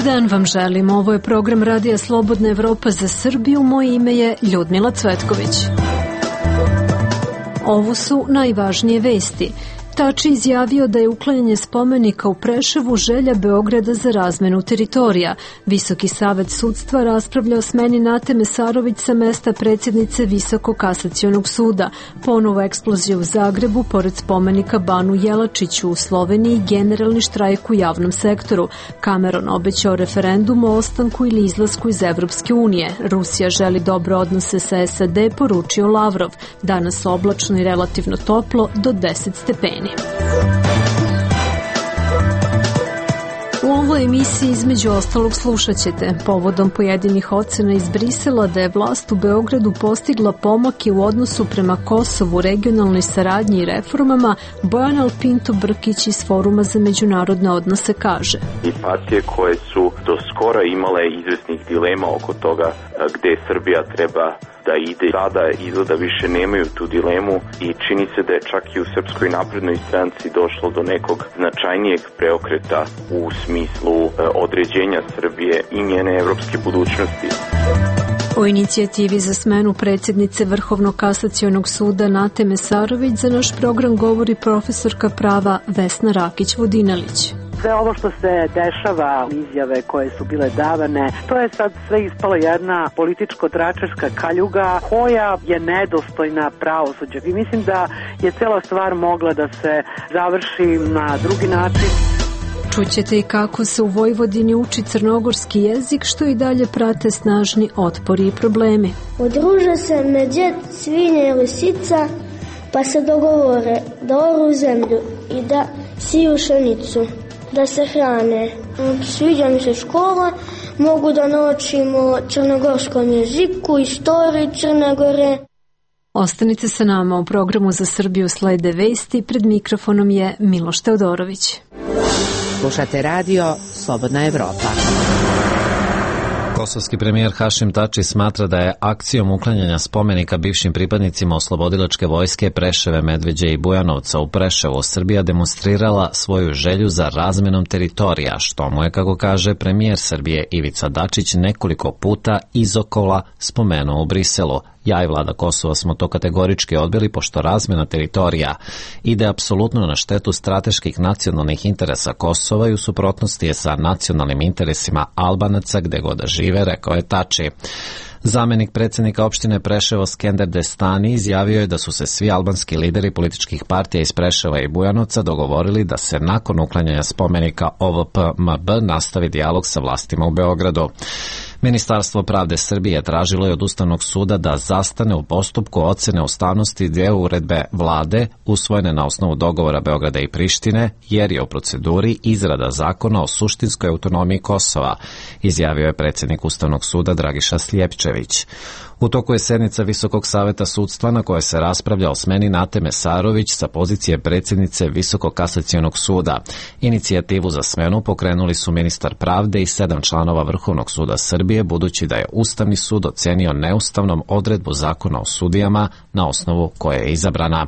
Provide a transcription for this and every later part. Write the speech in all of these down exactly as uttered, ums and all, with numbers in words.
Dobar dan vam želim. Ovo je program Radija Slobodna Evropa za Srbiju. Moje ime je Ljudmila Cvetković. Ovo su najvažnije vesti. Tači izjavio da je uklanjanje spomenika u Preševu želja Beograda za razmenu teritorija. Visoki savet sudstva raspravlja o smeni Nate Mesarović sa mesta predsjednice Visokog kasacionog suda. Ponovo eksplozija u Zagrebu, pored spomenika Banu Jelačiću u Sloveniji, generalni štrajk u javnom sektoru. Cameron obećao referendum o ostanku ili izlasku iz Evropske unije. Rusija želi dobre odnose sa S A D, poručio Lavrov. Danas oblačno i relativno toplo, do deset stepeni. U ovoj emisiji između ostalog slušat ćete povodom pojedinih ocena iz Brisela da je vlast u Beogradu postigla pomake u odnosu prema Kosovu, regionalnoj saradnji i reformama. Bojan Pinto Brkić iz Foruma za međunarodne odnose kaže: I partije koje su do skora imale izvesnih dilema oko toga gde Srbija treba da ide, sada izgleda više nemaju tu dilemu i čini se da je čak i u Srpskoj naprednoj stranci došlo do nekog značajnijeg preokreta u smislu određenja Srbije i njene evropske budućnosti. O inicijativi za smenu predsjednice Vrhovnog kasacionog suda Nate Mesarović za naš program govori profesorka prava Vesna Rakić-Vodinelić. Sve ovo što se dešava, izjave koje su bile davane, to je sad sve ispalo jedna političko-tračarska kaljuga koja je nedostojna pravosuđa. I mislim da je cela stvar mogla da se završi na drugi način. Čućete i kako se u Vojvodini uči crnogorski jezik, što i dalje prate snažni otpori i problemi. Udruže se medvjed, svinja i lisica, pa se dogovore da oru zemlju i da siju pšenicu, da se hrane. Sviđa mi se škola, mogu da naučimo crnogorskom jeziku, istoriji Crne Gore. Ostanite sa nama, u programu za Srbiju slede vesti, pred mikrofonom je Miloš Teodorović. Slušate radio Slobodna Evropa. Kosovski premijer Hašim Tači smatra da je akcijom uklanjanja spomenika bivšim pripadnicima oslobodilačke vojske Preševe, Medveđe i Bujanovca u Preševu Srbija demonstrirala svoju želju za razmenom teritorija, što mu je, kako kaže premijer Srbije Ivica Dačić, nekoliko puta izokola spomenuo u Briselu. Ja i vlada Kosova smo to kategorički odbili, pošto razmjena teritorija ide apsolutno na štetu strateških nacionalnih interesa Kosova i u suprotnosti je sa nacionalnim interesima Albanaca gde god da žive, rekao je Tači. Zamenik predsjednika opštine Preševo Skender Destani izjavio je da su se svi albanski lideri političkih partija iz Preševa i Bujanovca dogovorili da se nakon uklanjanja spomenika O V P M B nastavi dijalog sa vlastima u Beogradu. Ministarstvo pravde Srbije tražilo je od Ustavnog suda da zastane u postupku ocene ustavnosti dvije uredbe vlade usvojene na osnovu dogovora Beograda i Prištine, jer je u proceduri izrada zakona o suštinskoj autonomiji Kosova, izjavio je predsjednik Ustavnog suda Dragiša Sljepčević. U toku je sednica Visokog saveta sudstva na kojoj se raspravlja o smeni Nate Mesarović sa pozicije predsjednice Visokog kasacionog suda. Inicijativu za smenu pokrenuli su ministar pravde i sedam članova Vrhovnog suda Srbije, budući da je Ustavni sud ocenio neustavnom odredbu zakona o sudijama na osnovu koje je izabrana.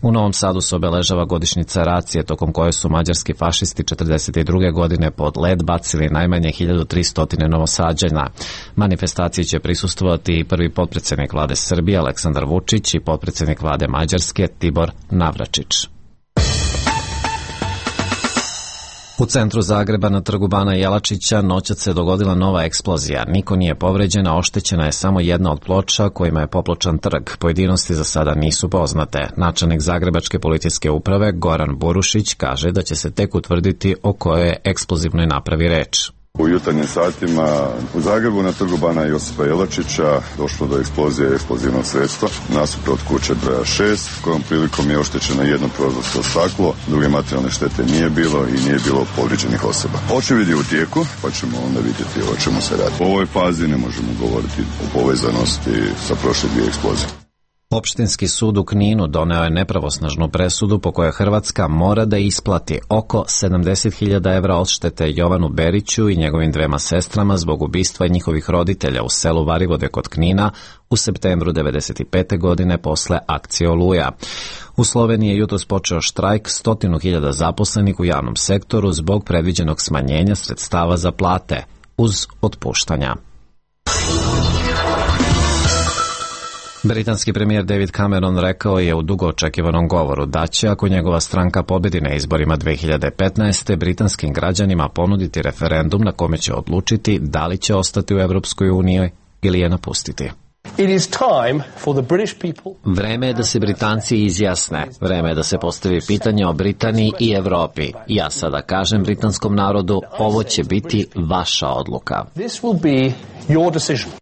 U Novom Sadu se obeležava godišnjica racije, tokom koje su mađarski fašisti četrdeset druge godine pod led bacili najmanje hiljadu tristo Novosađana. Manifestaciji će prisustvovati i prvi potpredsjednik vlade Srbije Aleksandar Vučić i potpredsjednik vlade Mađarske Tibor Navračić. U centru Zagreba na trgu Bana Jelačića noćas se dogodila nova eksplozija. Niko nije povređena, oštećena je samo jedna od ploča kojima je popločan trg. Pojedinosti za sada nisu poznate. Načelnik Zagrebačke policijske uprave Goran Burušić kaže da će se tek utvrditi o kojoj je eksplozivnoj napravi reč. U jutarnjim satima u Zagrebu na trgu Bana Josipa Jelačića došlo do eksplozije eksplozivnog sredstva nasuprot kuće broja šest, kojom prilikom je oštećeno jedno prozorsko staklo, druge materijalne štete nije bilo i nije bilo povrijeđenih osoba. Očevid je u tijeku, pa ćemo onda vidjeti o čemu se radi. U ovoj fazi ne možemo govoriti o povezanosti sa prošle dvije eksplozije. Opštinski sud u Kninu doneo je nepravosnažnu presudu po kojoj Hrvatska mora da isplati oko sedamdeset hiljada evra odštete Jovanu Beriću i njegovim dvema sestrama zbog ubistva njihovih roditelja u selu Varivode kod Knina u septembru devedeset pete. godine posle akcije Oluja. U Sloveniji je jutros počeo štrajk stotinu hiljada zaposlenih u javnom sektoru zbog predviđenog smanjenja sredstava za plate uz otpuštanja. Britanski premijer David Cameron rekao je u dugo očekivanom govoru da će, ako njegova stranka pobedi na izborima dve hiljade petnaeste. britanskim građanima ponuditi referendum na kome će odlučiti da li će ostati u Evropskoj uniji ili je napustiti. It is time for the British people. Vreme je da se Britanci izjasne. Vreme je da se postavi pitanje o Britaniji i Evropi. Ja sada kažem britanskom narodu, ovo će biti vaša odluka. This will be your decision.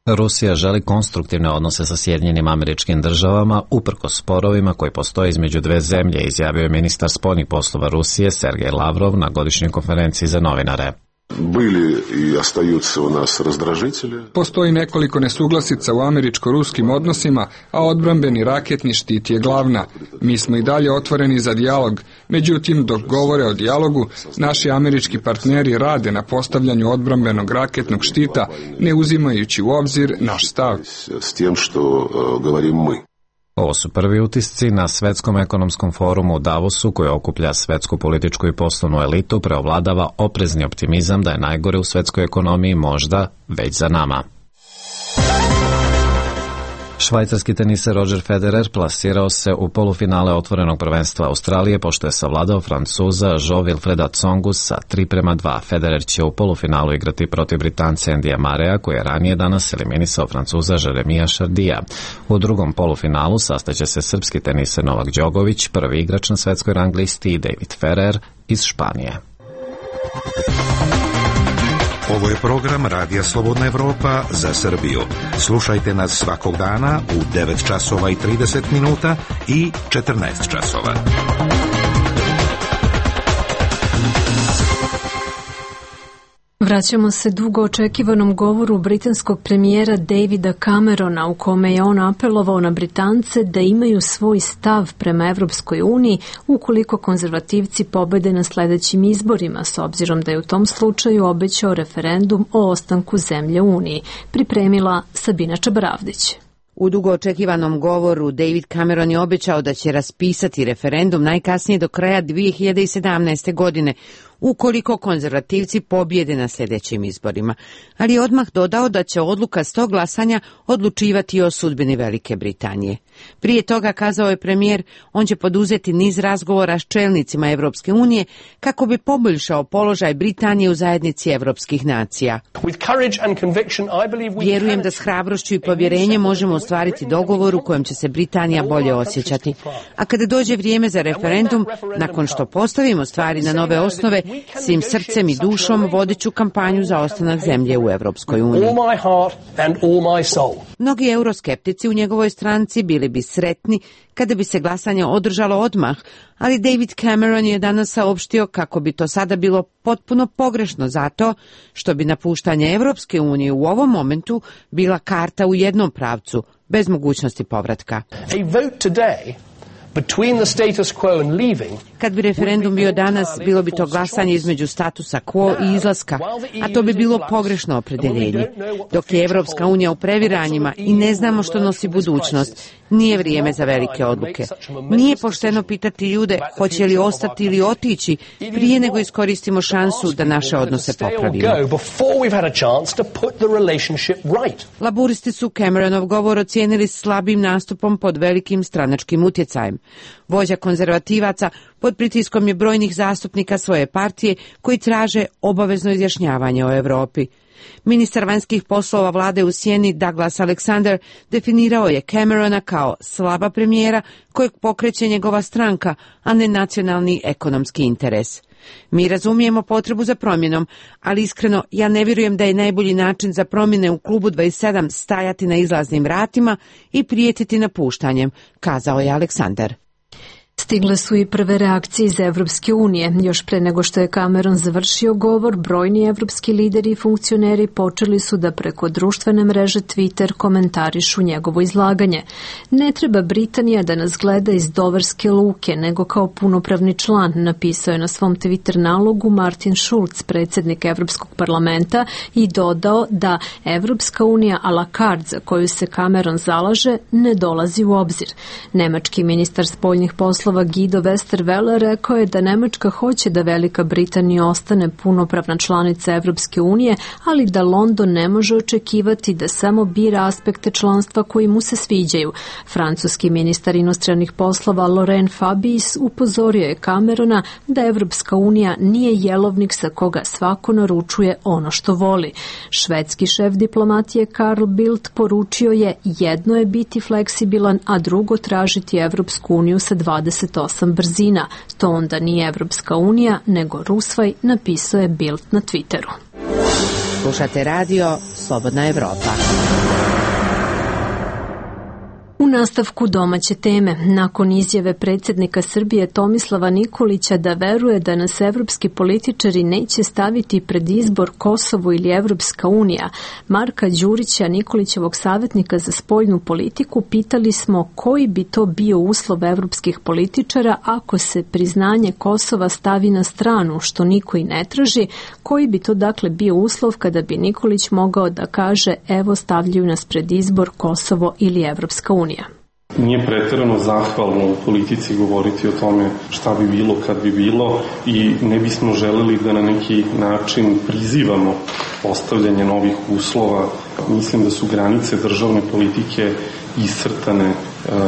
Rusija želi konstruktivne odnose sa Sjedinjenim Američkim Državama uprkos sporovima koji postoje između dve zemlje, izjavio je ministar spoljnih poslova Rusije Sergej Lavrov na godišnjoj konferenciji za novinare. Bili i остаются у нас раздражители. Postoji nekoliko nesuglasica u američko-ruskim odnosima, a odbrambeni raketni štit je glavna. Mi smo i dalje otvoreni za dijalog, međutim, dok govore o dijalogu, naši američki partneri rade na postavljanju odbrambenog raketnog štita, ne uzimajući u obzir naš stav. S tim što govorimo mi. Ovo su prvi utisci na Svetskom ekonomskom forumu u Davosu, koji okuplja svetsku političku i poslovnu elitu, preovladava oprezni optimizam da je najgore u svetskoj ekonomiji možda već za nama. Švajcarski teniser Roger Federer plasirao se u polufinale otvorenog prvenstva Australije pošto je savladao Francuza Jo-Wilfreda Tsongu sa tri prema dva. Federer će u polufinalu igrati protiv Britanca Andyja Murraya, koji je ranije danas eliminisao Francuza Jeremija Chardija. U drugom polufinalu sastaće se srpski teniser Novak Đogović, prvi igrač na svetskoj rang listi, i David Ferrer iz Španije. Ovo je program Radija Slobodna Evropa za Srbiju. Slušajte nas svakog dana u devet časova i trideset minuta i četrnaest časova. Vraćamo se dugo očekivanom govoru britanskog premijera Davida Camerona, u kome je on apelovao na Britance da imaju svoj stav prema Evropskoj uniji ukoliko konzervativci pobede na sledećim izborima, s obzirom da je u tom slučaju obećao referendum o ostanku zemlje u Uniji. Pripremila Sabina Čabaravdić. U dugo očekivanom govoru David Cameron je obećao da će raspisati referendum najkasnije do kraja dve hiljade sedamnaeste. godine, ukoliko konzervativci pobjede na sljedećim izborima, ali je odmah dodao da će odluka s tog glasanja odlučivati o sudbini Velike Britanije. Prije toga, kazao je premijer, on će poduzeti niz razgovora s čelnicima Evropske unije kako bi poboljšao položaj Britanije u zajednici evropskih nacija. Vjerujem da s hrabrošću i povjerenjem možemo ostvariti dogovor u kojem će se Britanija bolje osjećati. A kada dođe vrijeme za referendum, nakon što postavimo stvari na nove osnove, svim srcem i dušom vodit ću kampanju za ostanak zemlje u Evropskoj uniji. Mnogi euroskeptici u njegovoj stranci bili bi sretni kada bi se glasanje održalo odmah, ali David Cameron je danas saopštio kako bi to sada bilo potpuno pogrešno zato što bi napuštanje Evropske unije u ovom momentu bila karta u jednom pravcu, bez mogućnosti povratka. Kad bi referendum bio danas, bilo bi to glasanje između statusa quo i izlaska, a to bi bilo pogrešno opredeljenje. Dok je Evropska unija u previranjima i ne znamo što nosi budućnost, nije vrijeme za velike odluke. Nije pošteno pitati ljude hoće li ostati ili otići prije nego iskoristimo šansu da naše odnose popravimo. Laburisti su Cameronov govor ocijenili slabim nastupom pod velikim stranačkim utjecajem. Vođa konzervativaca pod pritiskom je brojnih zastupnika svoje partije koji traže obavezno izjašnjavanje o Evropi. Ministar vanjskih poslova vlade u sjeni Douglas Alexander definirao je Camerona kao slaba premijera kojeg pokreće njegova stranka, a ne nacionalni ekonomski interes. Mi razumijemo potrebu za promjenom, ali iskreno ja ne vjerujem da je najbolji način za promjene u klubu dvadeset sedam stajati na izlaznim vratima i prijetiti napuštanjem, kazao je Aleksandar. Stigle su i prve reakcije iz Evropske unije. Još pre nego što je Cameron završio govor, brojni evropski lideri i funkcioneri počeli su da preko društvene mreže Twitter komentarišu njegovo izlaganje. Ne treba Britanija da nas gleda iz doverske luke, nego kao punopravni član, napisao je na svom Twitter nalogu Martin Schulz, predsjednik Evropskog parlamenta, i dodao da Evropska unija a la carte za koju se Cameron zalaže ne dolazi u obzir. Nemački ministar spoljnih poslova Guido Westerwelle rekao je da Nemačka hoće da Velika Britanija ostane punopravna članica Evropske unije, ali da London ne može očekivati da samo bira aspekte članstva koji mu se sviđaju. Francuski ministar inostranih poslova Laurent Fabius upozorio je Camerona da Evropska unija nije jelovnik sa koga svako naručuje ono što voli. Švedski šef diplomatije Carl Bildt poručio je: jedno je biti fleksibilan, a drugo tražiti Evropsku uniju sa dvadeset osam brzina. To onda nije Evropska unija, nego Rusvaj, napisao je Bildt na Twitteru. Slušate radio Slobodna Evropa. U nastavku domaće teme, nakon izjave predsjednika Srbije Tomislava Nikolića da veruje da nas evropski političari neće staviti pred izbor Kosovo ili Evropska unija, Marka Đurića, Nikolićevog savjetnika za spoljnu politiku, pitali smo koji bi to bio uslov evropskih političara ako se priznanje Kosova stavi na stranu, što niko i ne traži, koji bi to dakle bio uslov kada bi Nikolić mogao da kaže: evo, stavljaju nas pred izbor Kosovo ili Evropska unija. Nije pretjerano zahvalno u politici govoriti o tome šta bi bilo kad bi bilo i ne bismo želeli da na neki način prizivamo postavljanje novih uslova. Mislim da su granice državne politike iscrtane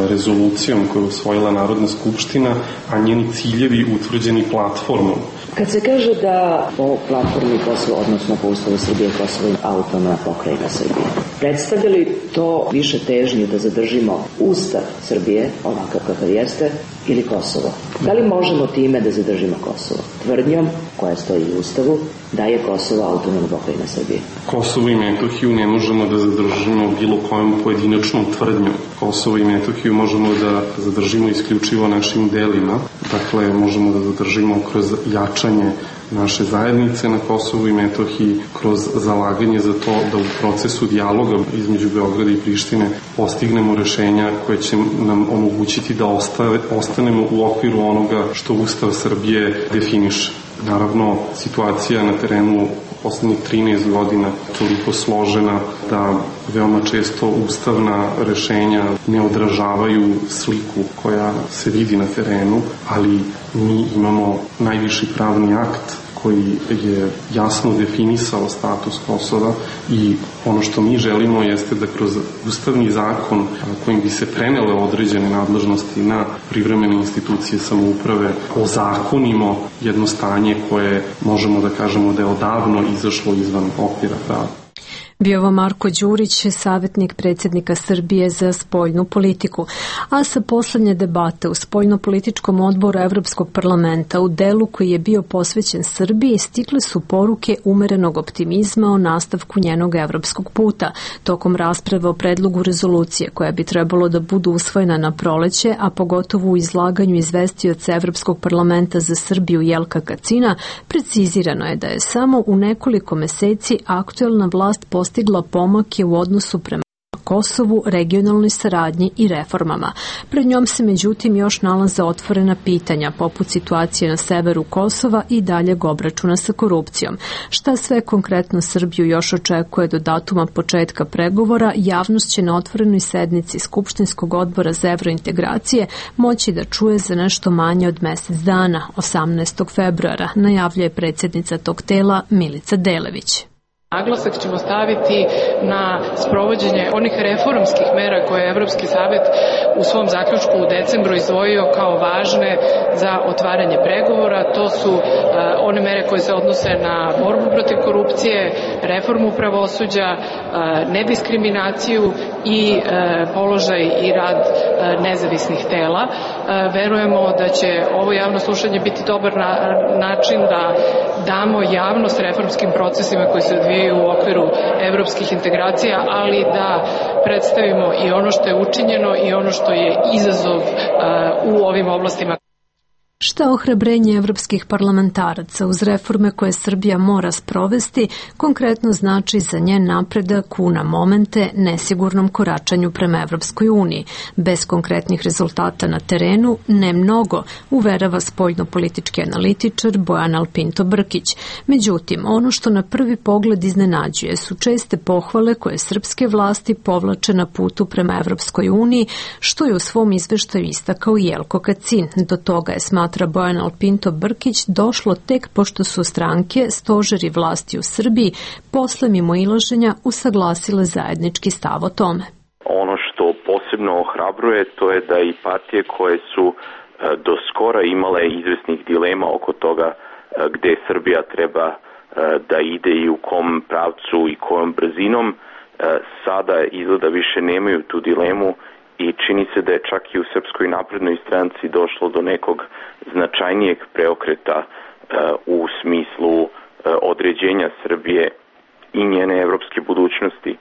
rezolucijom koju je usvojila Narodna skupština, a njeni ciljevi utvrđeni platformom. Kad se kaže da po platformi Kosovo, odnosno po Ustavu Srbije, Kosovo je autonomna pokrajina Srbije, predstavlja li to više težnju da zadržimo Ustav Srbije, ovakav kakav jeste, ili Kosovo? Da li možemo time da zadržimo Kosovo? Tvrdnjom, koja stoji u Ustavu, da je Kosovo autonomna pokrajina Srbije. Kosovo i Metohiju ne možemo da zadržimo bilo kojom pojedinačnom tvrdnjom. Kosovo i Metohiju možemo da zadržimo isključivo našim delima. Dakle, možemo da zadržimo kroz jačanje naše zajednice na Kosovu i Metohiji, kroz zalaganje za to da u procesu dijaloga između Beograda i Prištine postignemo rešenja koje će nam omogućiti da ostave, ostanemo u okviru onoga što Ustav Srbije definiše. Naravno, situacija na terenu poslednjih trinaest godina toliko složena da veoma često ustavna rešenja ne odražavaju sliku koja se vidi na terenu, ali mi imamo najviši pravni akt koji je jasno definisao status Kosova i ono što mi želimo jeste da kroz ustavni zakon kojim bi se prenele određene nadležnosti na privremene institucije samouprave ozakonimo jedno stanje koje možemo da kažemo da je odavno izašlo izvan okvira prava. Bio ovo Marko Đurić, savjetnik predsjednika Srbije za spoljnu politiku. A sa poslednje debate u spoljno-političkom odboru Evropskog parlamenta u delu koji je bio posvećen Srbiji stigle su poruke umerenog optimizma o nastavku njenog evropskog puta. Tokom rasprave o predlogu rezolucije koja bi trebalo da budu usvojena na proleće, a pogotovo u izlaganju izvestioca Evropskog parlamenta za Srbiju Jelka Kacina, precizirano je da je samo u nekoliko meseci aktuelna vlast postigla pomake u odnosu prema Kosovu, regionalnoj saradnji i reformama. Pred njom se međutim još nalaze otvorena pitanja, poput situacije na severu Kosova i daljeg obračuna sa korupcijom. Šta sve konkretno Srbiju još očekuje do datuma početka pregovora, javnost će na otvorenoj sednici Skupštinskog odbora za evrointegracije moći da čuje za nešto manje od mesec dana, osamnaestog februara, najavljuje predsjednica tog tela Milica Delević. Naglasak ćemo staviti na sprovođenje onih reformskih mera koje je Evropski savet u svom zaključku u decembru izdvojio kao važne za otvaranje pregovora. To su uh, one mere koje se odnose na borbu protiv korupcije, reformu pravosuđa, uh, nediskriminaciju i uh, položaj i rad uh, nezavisnih tela. Uh, verujemo da će ovo javno slušanje biti dobar na, način da damo javnost reformskim procesima koji se odvijaju odvijaju u okviru evropskih integracija, ali da predstavimo i ono što je učinjeno i ono što je izazov u ovim oblastima. Šta ohrabrenje evropskih parlamentaraca uz reforme koje Srbija mora sprovesti konkretno znači za njen napredak u na momente nesigurnom koračanju prema Evropskoj uniji. Bez konkretnih rezultata na terenu ne mnogo, uverava spoljno-politički analitičar Bojan Alpinto Brkić. Međutim, ono što na prvi pogled iznenađuje su česte pohvale koje srpske vlasti povlače na putu prema Evropskoj uniji, što je u svom izveštaju istakao Jelko Kacin. Do toga je smatrao Bojan Alpinto Brkić došlo tek pošto su stranke, stožeri vlasti u Srbiji, posle mimoilaženja usaglasile zajednički stav o tome. Ono što posebno ohrabruje to je da i partije koje su do skora imale izvesnih dilema oko toga gde Srbija treba da ide i u kom pravcu i kojom brzinom, sada izgleda više nemaju tu dilemu i čini se da je čak i u Srpskoj naprednoj stranci došlo do nekog značajnijeg preokreta u smislu određenja Srbije i njene evropske budućnosti.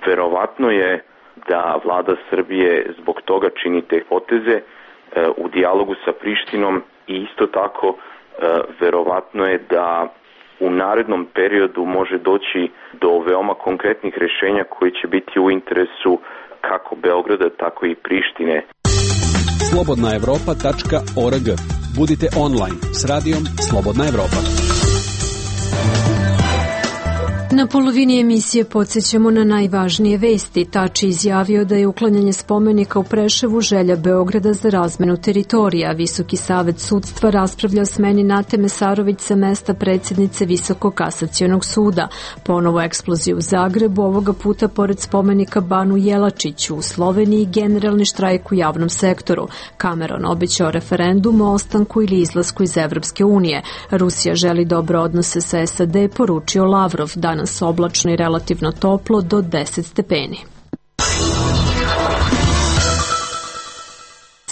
Verovatno je da vlada Srbije zbog toga čini te poteze u dijalogu sa Prištinom i isto tako verovatno je da u narednom periodu može doći do veoma konkretnih rešenja koji će biti u interesu kako Beograda, tako i Prištine. slobodna evropa tačka org. Budite online s radijom Slobodna Evropa. Na polovini emisije podsjećamo na najvažnije vesti. Tači izjavio da je uklanjanje spomenika u Preševu želja Beograda za razmenu teritorija. Visoki savet sudstva raspravlja o smeni Nate Mesarović sa mesta predsjednice Visokog kasacionog suda. Ponovo eksplozija u Zagrebu, ovoga puta pored spomenika Banu Jelačiću. U Sloveniji generalni štrajk u javnom sektoru. Cameron obećao referendum o ostanku ili izlasku iz Evropske unije. Rusija želi dobre odnose sa S A D, poručio Lavrov. Danas oblačno i relativno toplo do deset stepeni.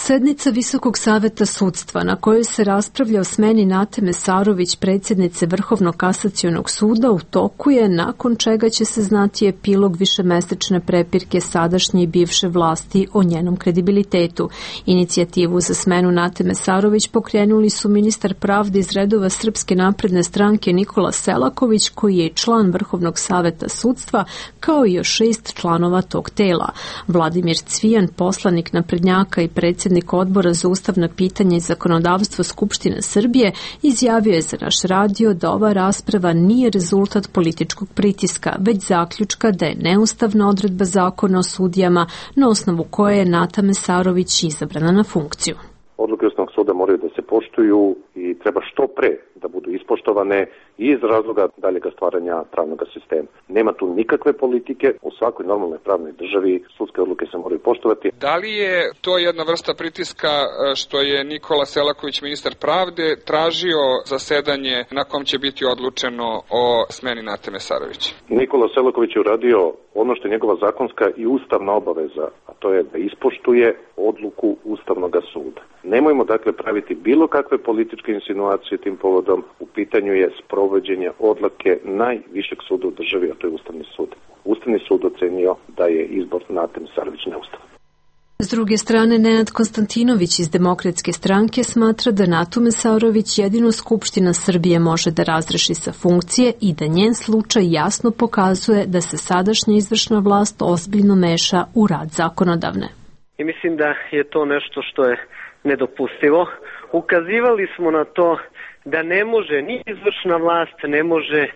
Sednica Visokog saveta sudstva na kojoj se raspravlja o smeni Nate Mesarović, predsjednice Vrhovnog kasacionog suda, u toku je, nakon čega će se znati epilog višemesečne prepirke sadašnje i bivše vlasti o njenom kredibilitetu. Inicijativu za smenu Nate Mesarović pokrenuli su ministar pravde iz redova Srpske napredne stranke Nikola Selaković, koji je član Vrhovnog saveta sudstva, kao i još šest članova tog tela. Vladimir Cvijan, poslanik naprednjaka i predsjednik Odbora za ustavna pitanja i zakonodavstvo Skupštine Srbije, izjavio je za naš radio da ova rasprava nije rezultat političkog pritiska, već zaključka da je neustavna odredba zakona o sudijama na osnovu koje je Nata Mesarović izabrana na funkciju. Odluke Ustavnog suda moraju da se poštuju i treba što pre da budu ispoštovane i iz razloga daljega stvaranja pravnog sistema. Nema tu nikakve politike, u svakoj normalnoj pravnoj državi sudske odluke se moraju poštovati. Da li je to jedna vrsta pritiska što je Nikola Selaković, ministar pravde, tražio zasedanje na kom će biti odlučeno o smeni Nate Mesarović? Nikola Selaković je uradio ono što je njegova zakonska i ustavna obaveza, a to je da ispoštuje odluku Ustavnog suda. Nemojmo dakle praviti bilo kakve političke insinuacije tim povodom. U pitanju je sprovođenje odluke najvišeg suda u državi, a to je Ustavni sud. Ustavni sud ocenio da je izbor Nate Mesarović neustavan. S druge strane, Nenad Konstantinović iz Demokratske stranke smatra da Natu Mesarović jedino Skupština Srbije može da razreši sa funkcije i da njen slučaj jasno pokazuje da se sadašnja izvršna vlast ozbiljno meša u rad zakonodavne. I mislim da je to nešto što je nedopustivo. Ukazivali smo na to da ne može ni izvršna vlast, ne može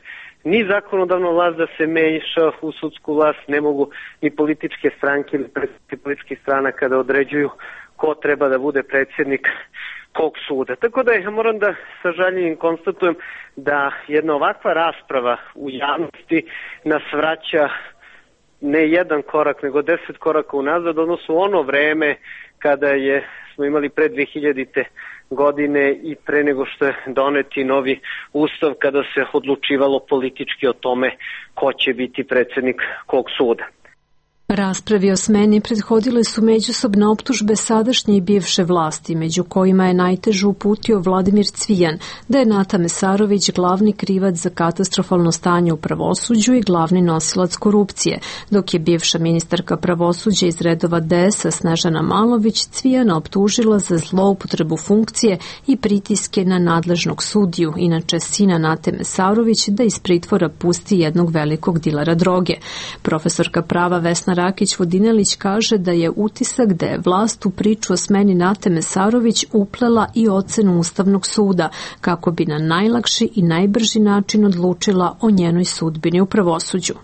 ni zakonodavna vlast da se meša u sudsku vlast, ne mogu ni političke stranke ili predstavnici političkih stranaka da određuju ko treba da bude predsjednik kog suda. Tako da ja moram da sa žaljenjem konstatujem da jedna ovakva rasprava u javnosti nas vraća ne jedan korak, nego deset koraka unazad, odnosno ono vreme kada je, smo imali pre dve hiljadite godine i pre nego što je doneti novi ustav, kada se odlučivalo politički o tome ko će biti predsjednik kog suda. Raspravi o smeni prethodile su međusobne optužbe sadašnje i bivše vlasti, među kojima je najtežu uputio Vladimir Cvijan, da je Nata Mesarović glavni krivac za katastrofalno stanje u pravosuđu i glavni nosilac korupcije, dok je bivša ministarka pravosuđa iz redova D S A Snežana Malović Cvijana optužila za zloupotrebu funkcije i pritiske na nadležnog sudiju, inače sina Nate Mesarović, da iz pritvora pusti jednog velikog dilera droge. Profesorka prava Vesna Rakić-Vodinelić kaže da je utisak da je vlast u priču o smeni Nate Mesarović uplela i ocenu Ustavnog suda, kako bi na najlakši i najbrži način odlučila o njenoj sudbini u pravosuđu.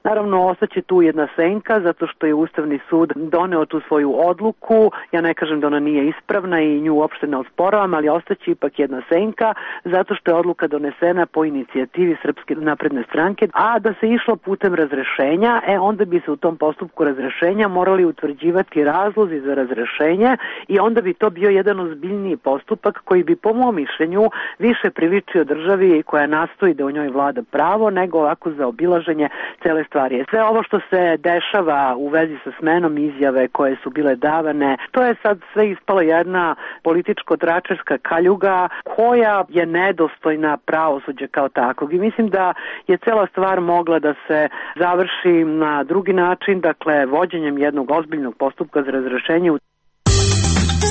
Naravno, ostaće tu jedna senka, zato što je Ustavni sud doneo tu svoju odluku. Ja ne kažem da ona nije ispravna i nju uopšte ne osporavam, ali ostaće ipak jedna senka, zato što je odluka donesena po inicijativi Srpske napredne stranke, a da se išlo putem razrešenja, e onda bi se u tom postupku razrešenja morali utvrđivati razlozi za razrešenje i onda bi to bio jedan ozbiljniji postupak koji bi, po mom mišljenju, više priličio državi koja nastoji da u njoj vlada pravo, nego ovako za obilaženje cele stvari. Sve ovo što se dešava u vezi sa smenom, izjave koje su bile davane, to je sad sve ispala jedna političko-tračarska kaljuga koja je nedostojna pravosuđa kao takvog. I mislim da je cela stvar mogla da se završi na drugi način, dakle vođenjem jednog ozbiljnog postupka za razrešenje.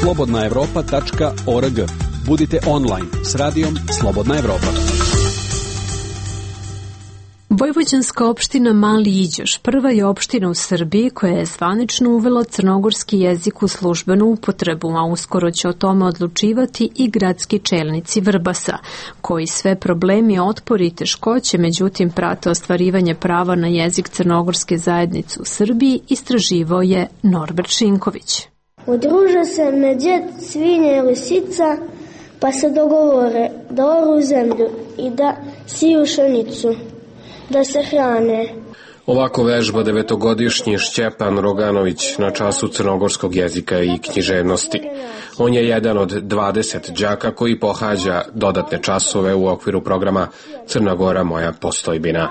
slobodna evropa tačka org. Budite online s radijom Slobodna Evropa. Vojvođanska opština Mali Iđoš prva je opština u Srbiji koja je zvanično uvela crnogorski jezik u službenu upotrebu, a uskoro će o tome odlučivati i gradski čelnici Vrbasa, koji sve problemi, otpori i teškoće, međutim prate ostvarivanje prava na jezik crnogorske zajednice u Srbiji, istraživao je Norbert Šinković. Udruže se medvjed, svinja i lisica, pa se dogovore da oru zemlju i da siju pšenicu, da se hrane. Ovako vežba devetogodišnji Šćepan Roganović na času crnogorskog jezika i književnosti. On je jedan od dvadeset đaka koji pohađa dodatne časove u okviru programa Crna Gora moja postojbina.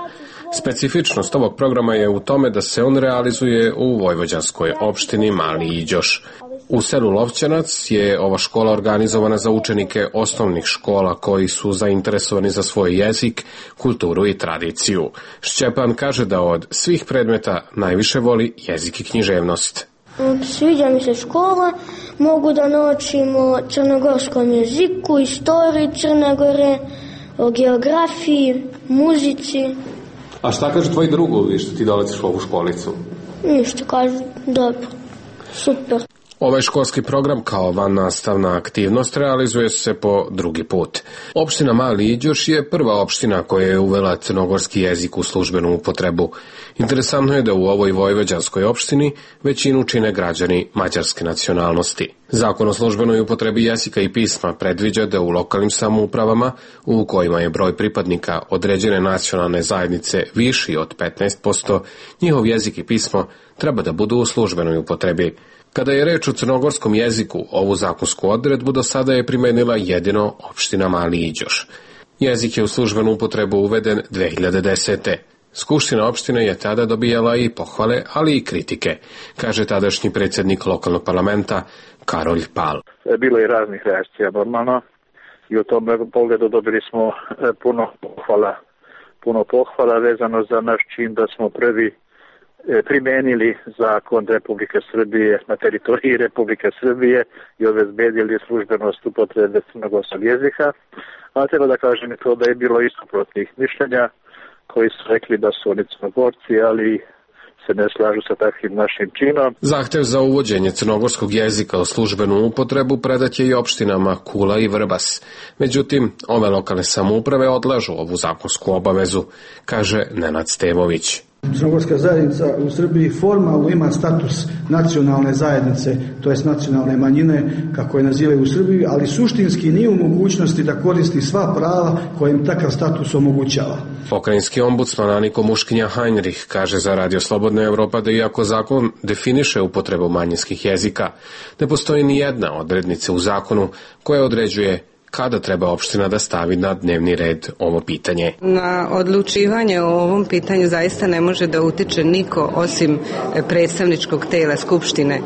Specifičnost ovog programa je u tome da se on realizuje u vojvođanskoj opštini Mali Iđoš. U selu Lovćanac je ova škola organizovana za učenike osnovnih škola koji su zainteresovani za svoj jezik, kulturu i tradiciju. Šćepan kaže da od svih predmeta najviše voli jezik i književnost. Sviđa mi se škola, mogu da naučim o crnogorskom jeziku, istoriji Crne Gore, o geografiji, muzici. A šta kaže tvoj drugovi što ti dolaziš u ovu školicu? Ništa, kažu dobro, super. Ovaj školski program kao vannastavna aktivnost realizuje se po drugi put. Opština Mali Iđoš je prva opština koja je uvela crnogorski jezik u službenu upotrebu. Interesantno je da u ovoj vojvođanskoj opštini većinu čine građani mađarske nacionalnosti. Zakon o službenoj upotrebi jezika i pisma predviđa da u lokalnim samoupravama, u kojima je broj pripadnika određene nacionalne zajednice viši od petnaest posto, njihov jezik i pismo treba da budu u službenoj upotrebi. Kada je reč o crnogorskom jeziku, ovu zakonsku odredbu do sada je primenila jedino opština Mali Iđoš. Jezik je u službenu upotrebu uveden dve hiljade desete. Skupština opštine je tada dobijala i pohvale, ali i kritike, kaže tadašnji predsjednik lokalnog parlamenta Karolj Pal. Bilo je raznih reakcija normalno i u tom pogledu dobili smo puno pohvala, puno pohvala vezano za naš čin da smo prvi primenili zakon Republike Srbije na teritoriji Republike Srbije i obezbedili službenost upotrebe crnogorskog jezika, a treba da kažem to da je bilo i suprotnih mišljenja koji su rekli da su oni Crnogorci, ali se ne slažu sa takvim našim činom. Zahtev za uvođenje crnogorskog jezika u službenu upotrebu predat je i opštinama Kula i Vrbas. Međutim, ove lokalne samouprave odlažu ovu zakonsku obavezu, kaže Nenad Stevović. Crnogorska zajednica u Srbiji formalno ima status nacionalne zajednice, to jest nacionalne manjine, kako je nazivaju u Srbiji, ali suštinski nije u mogućnosti da koristi sva prava koje im takav status omogućava. Pokrajinski ombudsman Aniko Muškinja Heinrich kaže za Radio Slobodna Evropa da iako zakon definiše upotrebu manjinskih jezika, ne postoji ni jedna odrednica u zakonu koja određuje kada treba opština da stavi na dnevni red ovo pitanje. Na odlučivanje o ovom pitanju zaista ne može da utiče niko osim predstavničkog tela Skupštine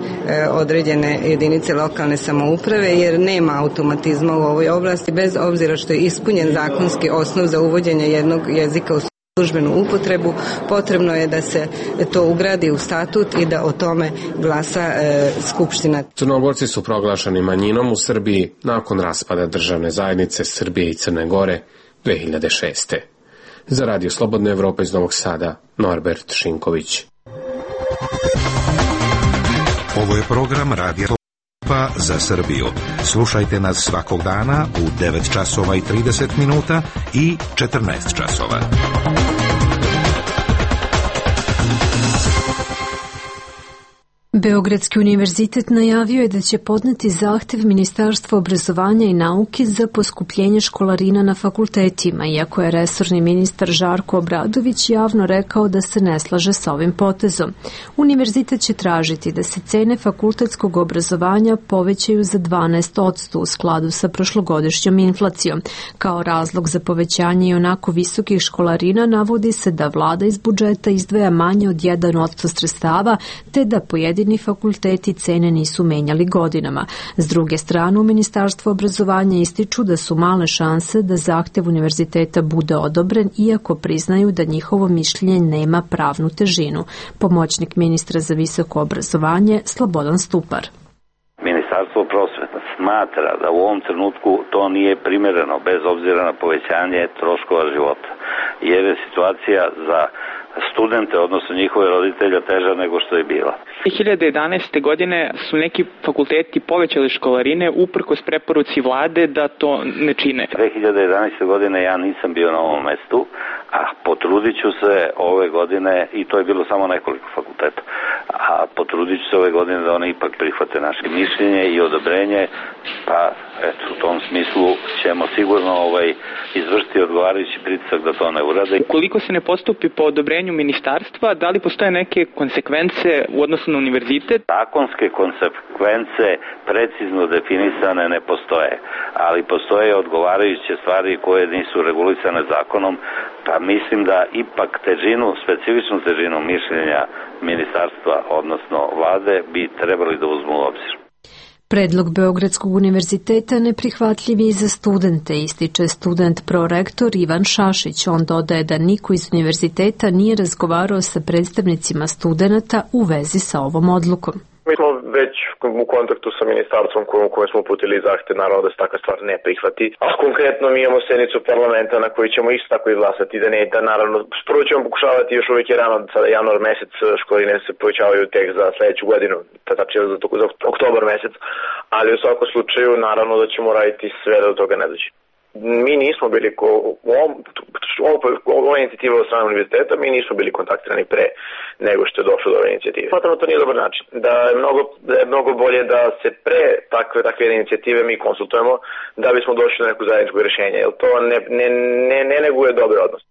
određene jedinice lokalne samouprave, jer nema automatizma u ovoj oblasti, bez obzira što je ispunjen zakonski osnov za uvođenje jednog jezika u službenu upotrebu. Potrebno je da se to ugradi u statut i da o tome glasa e, Skupština. Crnogorci su proglašeni manjinom u Srbiji nakon raspada državne zajednice Srbije i Crne Gore dve hiljade šeste. Za Radio Slobodna Evropa iz Novog Sada, Norbert Šinković. Ovo je program Radija Slobodna za Srbiju. Slušajte nas svakog dana u devet časova i trideset minuta i četrnaest časova. Beogradski univerzitet najavio je da će podneti zahtev Ministarstva obrazovanja i nauke za poskupljenje školarina na fakultetima, iako je resorni ministar Žarko Obradović javno rekao da se ne slaže sa ovim potezom. Univerzitet će tražiti da se cene fakultetskog obrazovanja povećaju za dvanaest posto u skladu sa prošlogodišnjom inflacijom. Kao razlog za povećanje i onako visokih školarina navodi se da vlada iz budžeta izdvaja manje od jedan posto sredstava, te da pojedini fakulteti cene nisu menjali godinama. S druge strane, u Ministarstvu obrazovanja ističu da su male šanse da zahtev univerziteta bude odobren, iako priznaju da njihovo mišljenje nema pravnu težinu. Pomoćnik ministra za visoko obrazovanje Slobodan Stupar. Ministarstvo prosvete smatra da u ovom trenutku to nije primereno, bez obzira na povećanje troškova života, jer je situacija za studente, odnosno njihove roditelja, teža nego što je bila. dve hiljade jedanaeste. godine su neki fakulteti povećali školarine uprkos preporuci vlade da to ne čine. dve hiljade jedanaeste. godine ja nisam bio na ovom mestu, a potrudit ću se ove godine, i to je bilo samo nekoliko fakulteta, a potrudit ću se ove godine da one ipak prihvate naše mišljenje i odobrenje, pa eto, u tom smislu ćemo sigurno ovaj, izvršiti odgovarajući pritisak da to ne urade. Ukoliko se ne postupi po odobrenju ministarstva, da li postoje neke konsekvence u odnosu na univerzitet? Zakonske konsekvence precizno definisane ne postoje, ali postoje odgovarajuće stvari koje nisu regulisane zakonom, pa mislim da ipak težinu, specifičnu težinu mišljenja ministarstva, odnosno vlade, bi trebali da uzmu u obzir. Predlog Beogradskog univerziteta neprihvatljiv je i za studente, ističe student prorektor Ivan Šašić. On dodaje da niko iz univerziteta nije razgovarao sa predstavnicima studenata u vezi sa ovom odlukom. Mi smo već u kontaktu sa ministarstvom kojom, kojom smo uputili zahtev, naravno da se takva stvar ne prihvati. A konkretno mi imamo sednicu parlamenta na kojoj ćemo isto tako izglasati da ne, da naravno prvo ćemo pokušavati, još uvijek je rano, sada januar mesec, školarine se povećavaju tek za sledeću godinu, tačnije za, za oktobar mesec, ali u svakom slučaju naravno da ćemo raditi sve da do toga ne dođe. Mi nismo bili, ko, u ovom, ova inicijativa od strane univerziteta, mi nismo bili kontaktirani pre nego što je došlo do ove inicijative. Smatramo to nije dobar način. Da je mnogo, da je mnogo bolje da se pre takve, takve inicijative mi konsultujemo da bismo došli do nekog zajedničkog rješenja, jer to ne, ne, ne, ne neguje dobar odnos.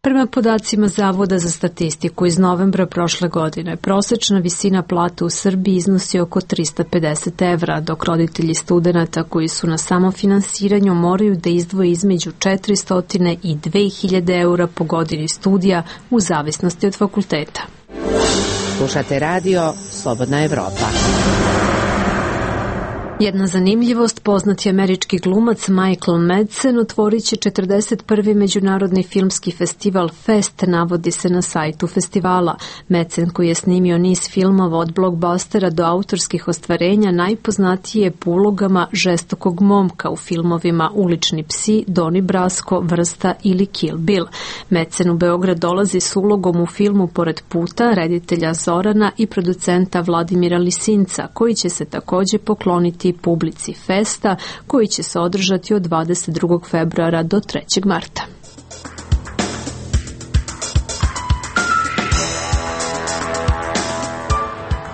Prema podacima Zavoda za statistiku iz novembra prošle godine, prosečna visina plata u Srbiji iznosi oko tristo pedeset evra, dok roditelji studenata koji su na samofinansiranju moraju da izdvoje između četiristo i dve hiljade eura po godini studija u zavisnosti od fakulteta. Slušate radio Slobodna Evropa. Jedna zanimljivost, poznati američki glumac Michael Madsen otvorit će četrdeset prvi međunarodni filmski festival Fest, navodi se na sajtu festivala. Madsen, koji je snimio niz filmova od blockbustera do autorskih ostvarenja, najpoznatiji je po ulogama žestokog momka u filmovima Ulični psi, Donnie Brasco, Vrsta ili Kill Bill. Madsen u Beograd dolazi s ulogom u filmu Pored puta, reditelja Zorana i producenta Vladimira Lisinca, koji će se takođe pokloniti publici Festa, koji će se održati od dvadeset drugog februara do trećeg marta.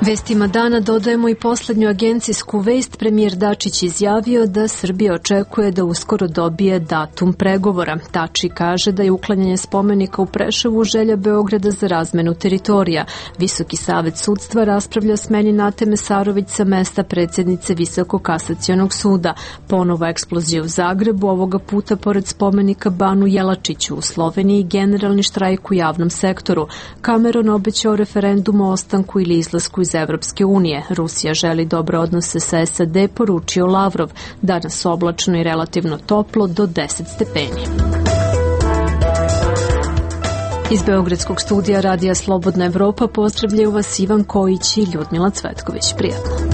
Vestima dana dodajemo i poslednju agencijsku vest. Premijer Dačić izjavio da Srbija očekuje da uskoro dobije datum pregovora. Tači kaže da je uklanjanje spomenika u Preševu želja Beograda za razmenu teritorija. Visoki savet sudstva raspravlja o smeni Nate Mesarović sa mesta predsjednice Visokog kasacionog suda. Ponova eksplozija u Zagrebu, ovoga puta pored spomenika Banu Jelačiću u Sloveniji, generalni štrajk u javnom sektoru. Cameron obećao referendum o ostanku ili izlasku iz Evropske unije. Rusija želi dobre odnose sa S A D, poručio Lavrov. Danas oblačno i relativno toplo do deset stepeni. Iz Beogradskog studija Radija Slobodna Evropa pozdravljaju vas Ivan Kojić i Ljudmila Cvetković. Prijatno.